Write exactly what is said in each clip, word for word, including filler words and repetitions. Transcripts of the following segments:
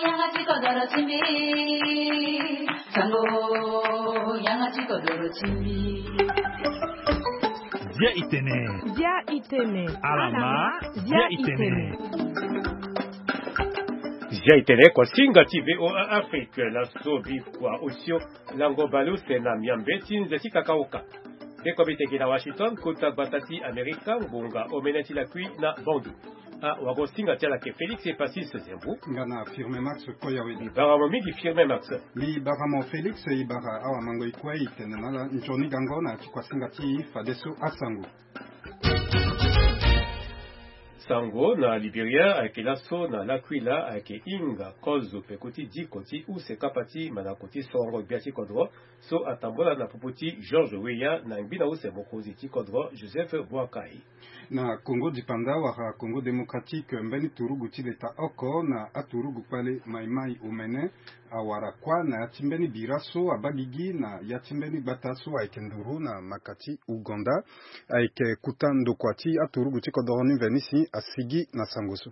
Yanga ti kodoro ti mbi. Sango, yanga ti kodoro ti mbi. Zia itene. Zia itene. Alama. Zia itene. Zia itene, kuasinga ti V O A Afrique, laso bikua osio lango baleuse na miambe ti nze ti kakaoka. Beko biteke na Washington, kota gbata ti Amerika, ngonga omene ti lakui na Bongi. Ah, wago singa ti ala ke Félix Epasis Zembu. Nga na Firme Max Koyawe. Mbi bara mo mingi Firme Max. Mbi bara mo Félix, i bara awa mango i kue i tene na ala nzoni gango na ti kuasinga ti fadeso asango. Sango na Liberia ayeke laso na L'Aquila ayeke hinga kozo peko ti diko ti use kapa ti mandako ti sorongo gbia ti kodro so atambola na popo ti George Weah na ngbi na use mokonzi ti kodro Joseph Boakai. Na Congo dipanda wala Congo démocratique, mbeni turugu ti leta oko na aturugu kpale Mai Mai omene awara kuâ na ya ti mbeni bira so abaa gigi na ya ti mbeni gbata so ayeke nduru na maka ti Ouganda. Ayeke kuta ndokua ti aturugu ti kodoro ni mveni si asigi na sango so.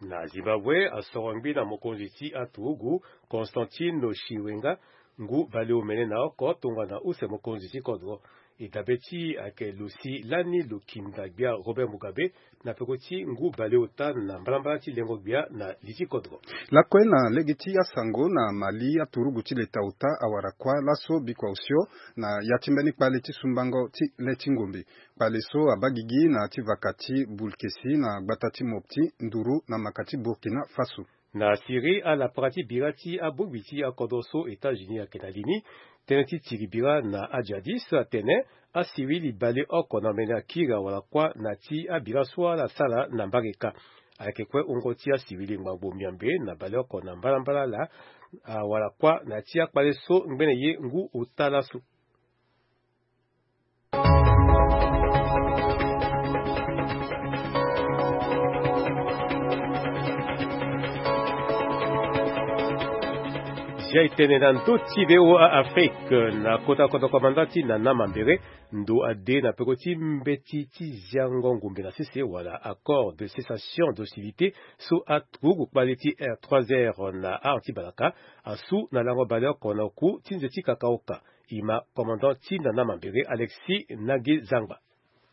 Na Zimbabwe, asoro ngbi na mokonzi ti aturugu Constantino Chiwenga ngu baleomene na oko tongana use mokonzi ti kodro. E dabe ti e ayeke lo si lani lo kinda gbia Robert Mugabe na peko ti ngu baleota na mbalambala ti lengo gbia na li ti kodro. Lakue na lege ti asango na Mali, aturugu ti leta ota awara kuâ laso bikua osio na ya ti mbeni kpale ti sumbango ti le ti ngombe. Kpale so abaa gigi na ya ti vaka ti Bulkesi na gbata ti Mopti nduru na maka ti Burkina Faso. Na Syrie, alapara ti bira ti abongbi ti akodro so États-Unis ayeke na li ni, tënë ti tiri bira na ajihadis atene asiwili baleoko na omene akiri awara kuâ na ti abira so ala sara na mbage kâ. Ayeke kue wungo ti asiwili ngbangbo miambe na baleoko na mbalambala ala awara kuâ na ti akpale so ngbene ye ngu ota laso. Zia e tene na ndö ti V O A Afrique na kota kodro komanda ti Nana Mambere, ndo ade na peko ti mbeti ti ziango ngombe na sese wala accord de cessation d'hostilité so aturugu kpale ti R trois R na art ti balaka asu na lango baleoko na oku ti nze ti kakaoka. E ma commandant ti Nana Mambere, Alexis Nage Zangba.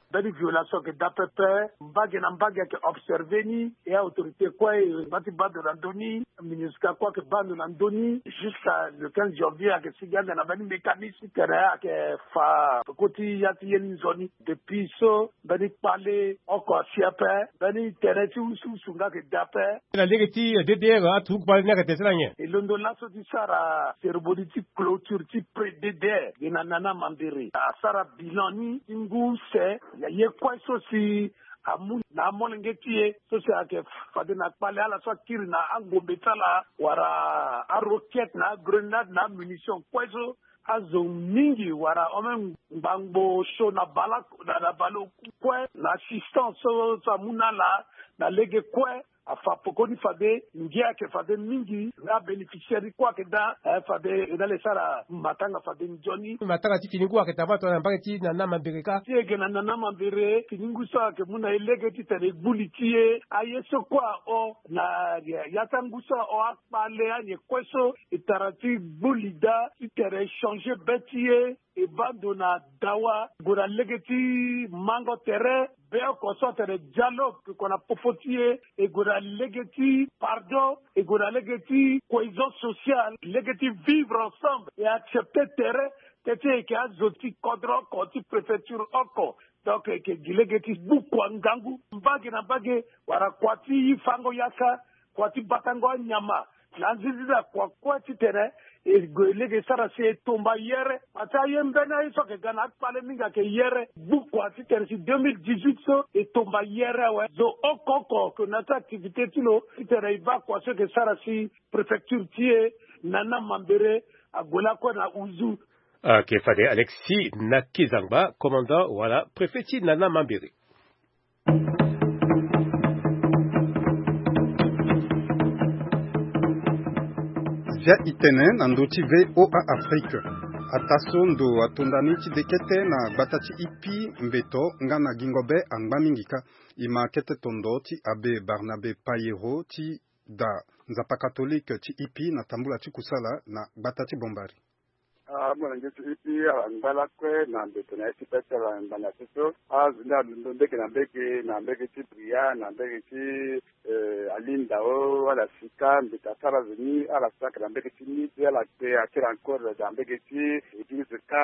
Mbeni violation ayeke daa pepe, mbage na mbage ayeke observer ni, e autorité kue e ngba ti baa ndo na ndö ni, MINUSCA kue ayeke baa ndo na ndö ni. Jusqu'à le quinze janvier ayeke sigi ande na mbeni mécanisme ti tene ayeke fa peko ti ya ti ye ni nzoni. Depuis so mbeni kpale oko asi ape, mbeni tene ti usuusu nga ayeke daa ape. Na lege ti D D R, aturugu kpale ni ayeke tene ti na nyen? E londo laso ti sara cérémonie ti clôture ti pré-D D R ge na Nana Mambere. Asara bilan ni ti ngu use na ye kue so si amu na amolenge ti e so si ayeke fade na kpale ala so akiri na angombe ti ala wala aroquette na agrenade na amunition kue so azo mingi wala ome ngbangbo so na baleoku kue na assistance so so amu na ala na lege kue. Afa pekoni fade ngia ayeke fade mingi nga abénéficiaire ni kue ayeke daa. Eh, fade e na le sara matanga fade nzoni. Matanga ti fini ngu ayeke daa va tongana na mbage ti Nana Mambere kâ. Ti e ge na Nana Mambere fini ngu so ayeke mu na e lege titene e gbu li ti e. Aye so kue ahon na ya ti angu so ahon akpale anyen kue so e tara ti gbu li daa titene e changer be ti e. E baa ndo na dawa, e gue na lege ti mango tere, be oko so atene dialogue, e gue na popo ti e, e gue na lege ti pardon, e gue na lege ti cohésion sociale, lege ti vivre ensemble, e accepter tere, teti e yeke azo ti kodro oko, ti préfecture oko. Donc e yeke gi lege ti gbu kua ngangu, mbage na mbage, wala kua ti fango yaka, kua ti batango anyama, na nzinzi na kua kue titene e gue lege e sara si e tomba yere. Parce que aye mbeni aye so ayeke ga na akpale mingi ayeke yere. Gbu kua titene si deux mille dix-huit so e tomba yere awe. Zo oko oko ayeke na ya ti activité ti lo titene e baa kua so e yeke sara si préfecture ti e na Nana Mambere ague lakue na huzu. Ayeke fade Alexis Nakizangba, commandant wala préfet ti Nana Mambere. Zia itene na ndö ti V O A Afrique. Ataa so ndo atonda ni ti dekete na gbata ti Ipi, mbeto nga na gingo be angba mingi kâ. E ma kete tondo ti abbé Barnabé Payero ti daa nzapa katolike ti ipi na tambula ti kusala na gbata ti Bombari. Amolenge ti ipi ala ngba lakue na mbeto na ye ti be ti ala ngbanga ti so. Azo ni alondo mbege na mbege, na mbege ti Bria, na mbege ti eh, alindao ala sika mbi ta sara zo ni ala saka na mbege ti ni ti ala kpe akiri encore na mbege ti église ka.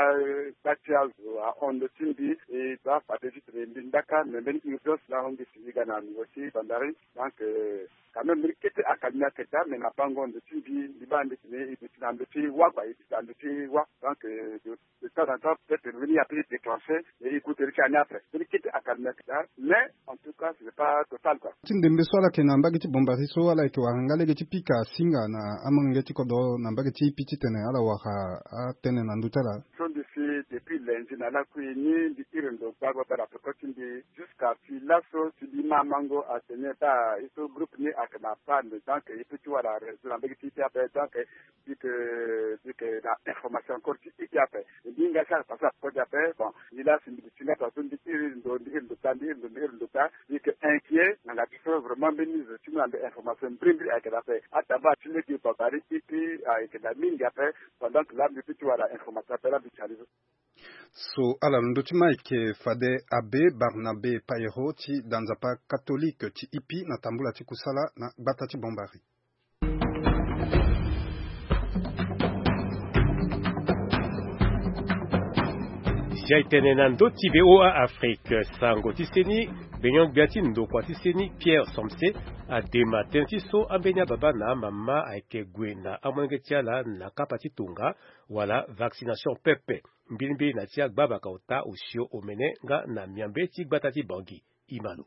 Kpa ti azo ahon ndo ti mbi e to afade ti tene mbi ndaka me mbeni urgence na ahon mbi si ni ga na nivo ti Bandari. Donc eh, quand même mbeni kete akalmi aketa me na bango ndo ti mbi mbi baa mbi tene e duti na ndo ti wa kua e duti na ndo ti wa. Donc eh, de temps en temps peut-être mbeni ya pe e déclencher. Mais e coûte ri ti ani après mbeni kete akalmi aketa mais en tout cas ce n'est pas total quoi. Ti ndembe so ala yeke na mbage ti Bombari so ala yeke wara nga lege ti pika singa na amolenge ti kodro na mbage ti ipi titene ala wara atene na ndö ti ala. So mbi si depuis lundi na lakui ni mbi iri ndo gbagba baa na peko ti mbi jusqu'à si laso si mbi ma mango atene baa e so groupe ni ayeke na panne donc e peut ti wara réseau na mbage ti ipi ape donc Bik bik na information encore ti iti ape. Mbi hinga si ala pase na peko ti ape. Bon, mbi laa si mbi duti nga tongaso mbi iri ndo mbi iri ndo kpaa mbi iri ndo mbi iri ndo kpaa. Mbi yeke inquiet na nga ti so vraiment mbeni zo ti mu na mbi information mbirimbiri ayeke na ape. Atambula ti lege Bombari ipi ayeke na mingi ape. Pendant que laa mbi peut ti wara information ape laa mbi ti na ni so. So ala londo ti ma ayeke fade abbé Barnabé Payero ti da nzapa katolike ti ipi na tambula ti kusala na gbata ti Bombari. Zia etene na ndö ti V O A Afrique, sango ti seni, gbenyo-gbia ti ndokua ti seni Pierre Somse adema tënë ti so ambeni ababa na amama ayeke gue na amolenge ti ala na kapa ti tonga wala vaccination pepe. Mbilimbili na ti agbabaka ota osio omene nga na miambe ti gbata ti Bangui. Imalo.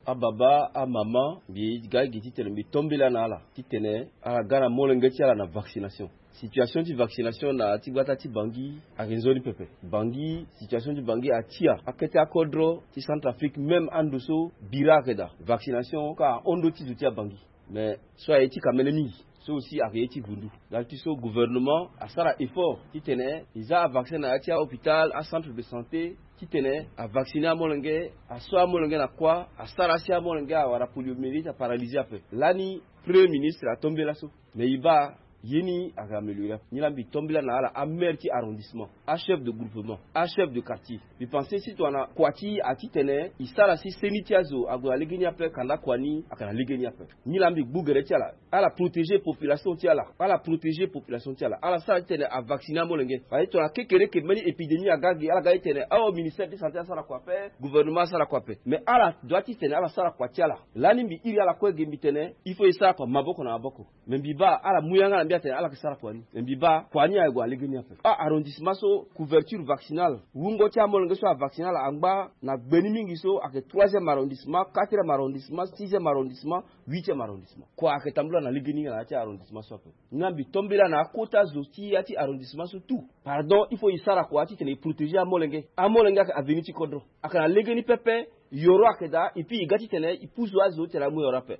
Ababa, amama, mbi ga gi titene mbi tombela na ala titene ala ga na molenge ti ala na vaccination. Situation ti vaccination na ya ti gbata ti Bangui ayeke nzoni pepe. Bangui, situation ti Bangui atia akete akodro ti Centrafrique, même ando so bira ayeke daa. Vaccination ka ahon ndo ti zo ti aBangui. Mais so aye ti kamene mingi. So aussi ayeke ye ti vundu. Ndali ti so gouvernement asara effort titene e za avaccin na ya ti ahôpital, acentre de santé, titene avacciner amolenge, aso amolenge na kuâ, asara si amolenge awara poliomyélite, aparalyser ape. Lani premier ministre atombela so. Mais e baa ye ni ayeke améliorer ape. Nilaa mbi tombela na ala, amaire ti arrondissement, achef de groupement, achef de quartier. Mbi pense si tongana kua ti e atitene e sara si seni ti azo ague na legeni ape, kanda kua ni ayeke na legeni ape. Nilaa mbi gbu gere ti ala. Ala protéger population ti ala. Ala protéger population ti ala. Ala sara titene avacciner amolenge. Parce que tongana kekereke mbeni épidémie aga gi, ala ga titene, oh, ministère de santé asara kua ape, gouvernement asara kua ape. Mais ala doit titene ala sara kua ti ala. Lani mbi iri ala kue ge mbi tene il faut e sara kua maboko na maboko. Mais mbi baa ala mu yanga na mbi atene ala yeke sara kua ni. Mais mbi baa kua ni aye gue na legeni ape. Ah, arrondissement so couverture vaccinale, wungo ti amolenge so avacciner ala angba na gbeni mingi so ayeke troisième arrondissement, quatrième arrondissement, sixième arrondissement, huitième arrondissement. Kua ayeke tambula na legeni na ya ti arrondissement so ape. Nga mbi tombela na akota zo ti ya ti arrondissement so tout. Pardon, il faut e sara kua titene e protéger amolenge. Amolenge ayeke avenir ti kodro. Ayeke na legeni pepe, yoro ayeke daa, et puis e ga titene e pusu azo titene amu yoro ape.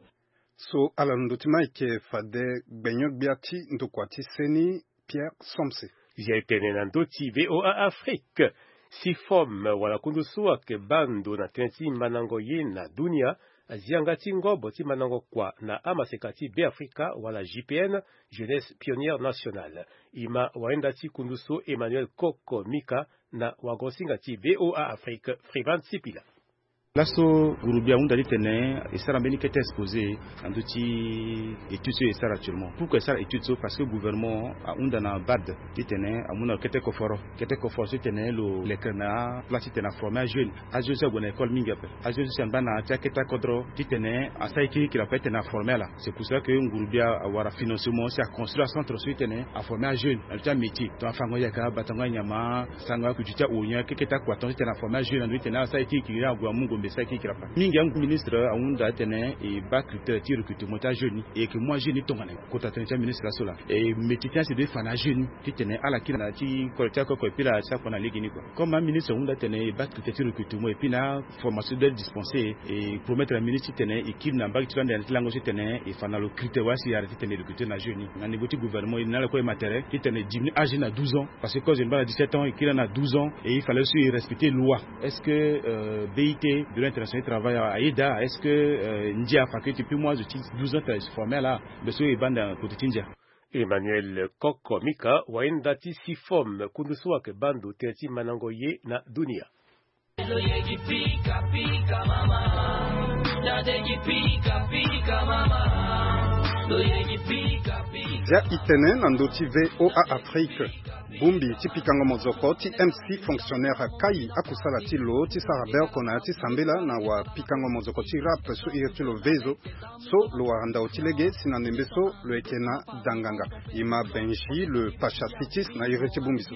So ala londo ti ma ayeke fade gbenyo-gbia ti ndokua ti seni Pierre Somse. Zia etene na ndö ti V O A Afrique. Sifom wala kundu so ayeke baa ndo na tënë ti mandango ye na dunia azia nga ti ngobo ti mandango kua na amaseka ti Beafrika wala J P N, Jeunesse Pionnière Nationale. E ma wayenda ti kundu so Emmanuel Koko Mika na wagosinga ti V O A Afrique, Freeman Sipila. Laso gurugbia ahunda titene e sara mbeni kete exposé na ndö ti étude so e sara actuellement. Pourquoi e sara étude so? Parce que gouvernement ahunda na bad titene amu na lo kete koforo. Kete koforo so titene lo lekere na aplat titene aformer ajeune. Ajeune so ague na école mingi ape. Ajeune so si angba na ya ti akete akodro titene asara ye kirikiri ape titene aformer ala. C'est pour cela que ngurugbia awara financement si aconstruire acentre so titene aformer ajeune na lo ti amétier. Tongana afango yaka, batango anyama, sango akutu ti aonia, keke ti akua tonga titene aformer ajeune na ndo titene asara ye kirikiri ague amu ngombe sara ye kirikiri ape. Mingi aministre ahunda titene e baa critère ti recrutement ti ajeune ni. E yeke mu ajeune ni tongana nyen? Kota tënë ti aministre laso laa. E métier ti achemineur fa na ajeune ni titene ala kiri na ya ti kolo ti akoko et puis ala sara kua na legeni kua. Comme aministre ahunda titene e baa critère ti recrutement et puis na formation doit être dispensée, e promettre na ministre titene e kiri na mbage ti lo ande na ti lango so titene e fa na lo critère wala si e arrêter titene e recruter na jeune ni. Na niveau ti gouvernement e na ala kue e ma tere titene e diminuer âge ni na douze ans. Parce que quand jeune baa na dix-sept ans, e kiri na douze ans, et il fallait aussi respecter loi. Est-ce que euh, B I T De l'international travail ayeda est-ce que euh, ndia afa ke ti pui mu azo ti douze ans tene formé ala? Be so e banda kote ti ndia. Emmanuel Koko Mika, wayenda ti sifom kundu so ayeke baa ndo tere ti mandango ye na dunia. Zia e tene na ndö ti VOA Afrique. Bongbi ti pikango mozoko ti M C fonctionnaire akai akusala ti lo ti sara beoko na ya ti sambela na wapikango mozoko ti rap so iri ti lo Vezo. So lo wara ndao ti lege si na ndembe so lo yeke na danganga. E ma Benji le Pacha Sitis na iri ti bongbi so.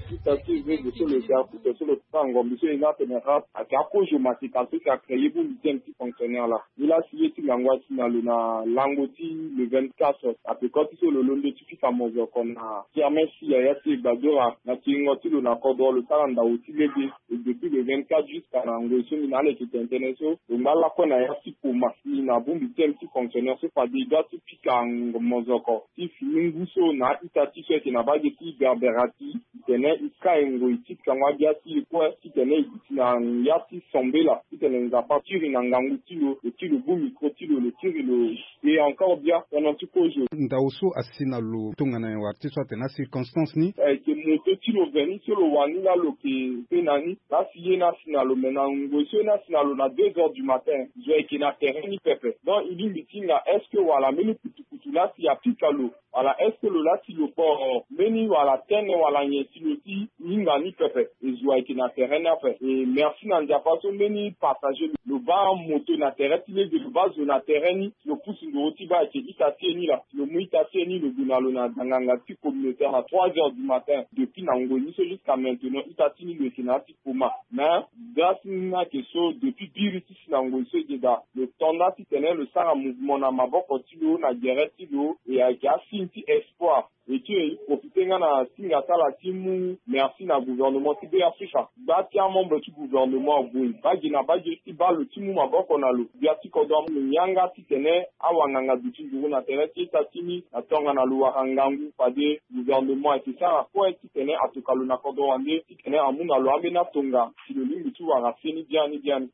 Ti tâ ti Vezo so lo yeke akuta so lo ti sara ngombi so e na atene rap ayeke akozo maseka so si acréé bongbi ti M C fonctionnaire laa. Ni laa si ye ti ngangu asi na lo na lango ti le vingt-quatre ape koti so lo londo ti fika mozoko na kermesse ya ya ti Egbadora na kiringo ti lo na kodro lo sara ndao ti lege. Et depuis le vingt-quatre jusqu'à na ngoi so ni na ala yeke tene tënë so lo ngba lakue na ya ti poma si na bongbi ti M C fonctionnaire so fade e doit ti fika mozoko ti fini ngu so na a-ita ti so ayeke na mbage ti Berberati. Titene e kai ngoi ti pikango agbia ti e kue titene e duti na ya ti sambela titene Nzapa tiri na ngangu ti lo, lo ti lo bu micro ti lo, lo tiri lo. Et encore bien pendant ti kozo. Ndao so asi na lo tongana nyen wara ti so atene acirconstance ni? Ayeke moto ti lo ve ni so lo wani laa lo yeke pe na ni. Laa si ye ni asi na lo me na ngoi so ye ni asi na lo na deux heures du matin zo ayeke na terrain ni pepe. Donc e lingbi ti hinga est-ce que wala mbeni kutukutu laa si afika lo? Wala est-ce que lo laa si lo koro mbeni wala tene wala nyen si lo ti hinga ni pepe? E zo ayeke na terrain ni ape. E merci na Nzapa so mbeni passager lo baa moto na terrain ti lege, lo baa zo na terrain ni, lo pusu nduru ti baa ayeke ita ti e ni laa. Lo mu ita ti e ni lo gue na lo na danganga ti communautaire na trois heures du matin. Depuis na ngoi ni so jusqu'à maintenant ita ti ni lo yeke na ya ti coma. Mais grâce ni ayeke so depuis biri ti si na ngoi so e yeda lo to nda titene lo sara mouvement na maboko ti lo na gere ti lo. E ayeke asigne ti espoir. E ti e profite nga na singa ti ala ti mu merci na gouvernement ti Be Afrika. Gba ti amembre ti gouvernement ague mbage na mbage ti baa lo ti mu maboko na lo. Gbia ti kodro amu lo yanga titene awanganga duti nduru na tere ti ita ti ni na tongana lo wara ngangu fade gouvernement ayeke sara kue titene atoka lo na kodro wande titene amu na lo ambeni atonga si lo lingbi ti wara fini biani biani.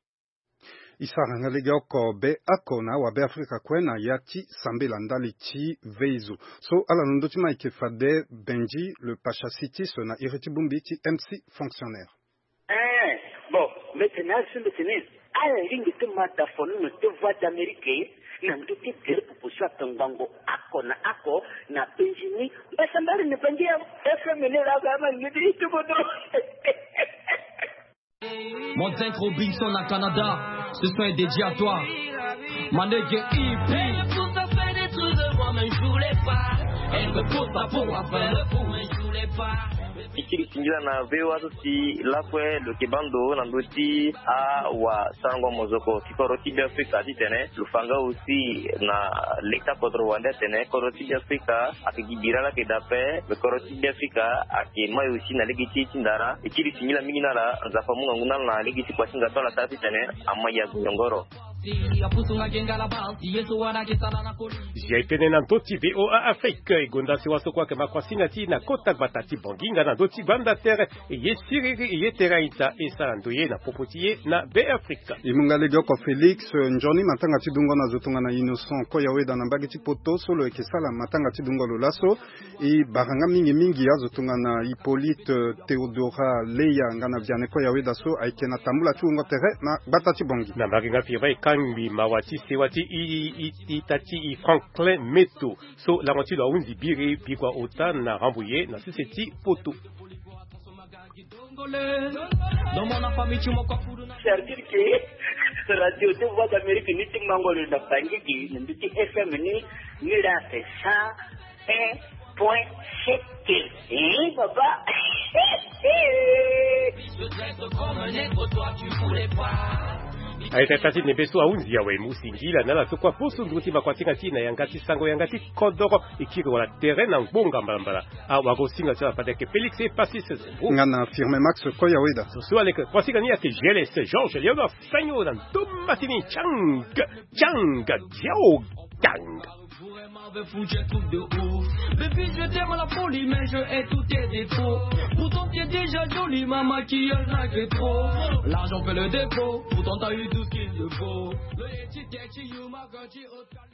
E sara nga lege oko be oko na awabe Afrika kue na ya ti sambela ndali ti Veizo. So ala na ndö ti ma ayeke fade Benji le Pacha Sitis na iri ti bongbi ti M C fonctionnaire. Eh, bon, mbi tene azo mbi tene ala lingbi ti ma dafonono ti Voix d'Amérique na ndö ti gere popo so atongbango oko na oko na Benji ni. Mbasambari ni bangi ya F M ni la ba ma ngidi ti bodo. Mon Robinson à Canada, ce son est dédié à toi. Manege E P. Elle me pousse à faire des trucs de moi, mais je voulais pas. Elle me pousse à pouvoir faire le fou, mais je voulais pas. Ti kiri tingila na V O A so si lakue lo yeke baa ndo na ndö ti awasarango mozoko ti kodro ti Be Afrika titene lo fa nga aussi na leta kodro wande atene kodro ti Be Afrika ayeke gi bira laa ayeke daa ape. Me kodro ti Be Afrika ayeke mai aussi na lege ti e ti ndara. E kiri tingila mingi na ala, Nzapa amu ngangu na ala na lege ti kua ti Nzapa na ala taa titene amai ague nyongoro. Zia e tene na ndö ti V O A Afrique, e gonda sewa so kue ayeke ma kuasinga ti e na kota gbata ti Bangui nga na ndö ti gbanda tere. E ye siriri, e ye tere a-ita, e sara ndoye na popo ti e na Be Afrika. E mu nga legeoko Félix, eh, nzoni matanga ti dungo na zo tongana Innocent Koyaweda na mbage ti Poto so lo yeke sala matanga ti dungo lo laso. E bara nga mingi mingi azo tongana Hippolyte, eh, Théodora Leya nga na Vianney Koyaweda so ayeke na tambula ti wungo tere na gbata ti Bangui. Na mbage nga firi baa e kangbi mawa ti sewa ti i, i, i, ita ti i Franklin Meto so lango ti lo ahunzi biri bikua ota na Rambouillet na sese ti Poto. C'est-à-dire que radio ti Voix d'Amérique ni ti mango lo na Bangui gi na ndö ti F M ni, ni la c'est cent un point sept. Eh, papa. Aye tata ti nembe so ahunzi awe mu singila na ala so kue aposo nduru ti makuasinga ti e na yanga ti sango yanga ti kodoro. E kiri wala tere na ngbonga mbalambala. Awagosinga ti ala fade ayeke Félix Epasis Zembo. Nga na Firmin Max Koyaweda. So so aleke kuasinga ni ayeke G L S Georges Léonard Sagno na ndoma ti ni Chang Chang Xiao Gang. Pour un mauvais fou, tu es tout de ouf. Baby, je t'aime à la folie, mais je hais tous tes défauts. Pourtant, t'es déjà jolie, ma maquillage n'a que trop. L'argent fait le défaut, pourtant t'as eu tout ce qu'il te faut. Le Yeti, Yeti, Yuma, Gucci, Oscar.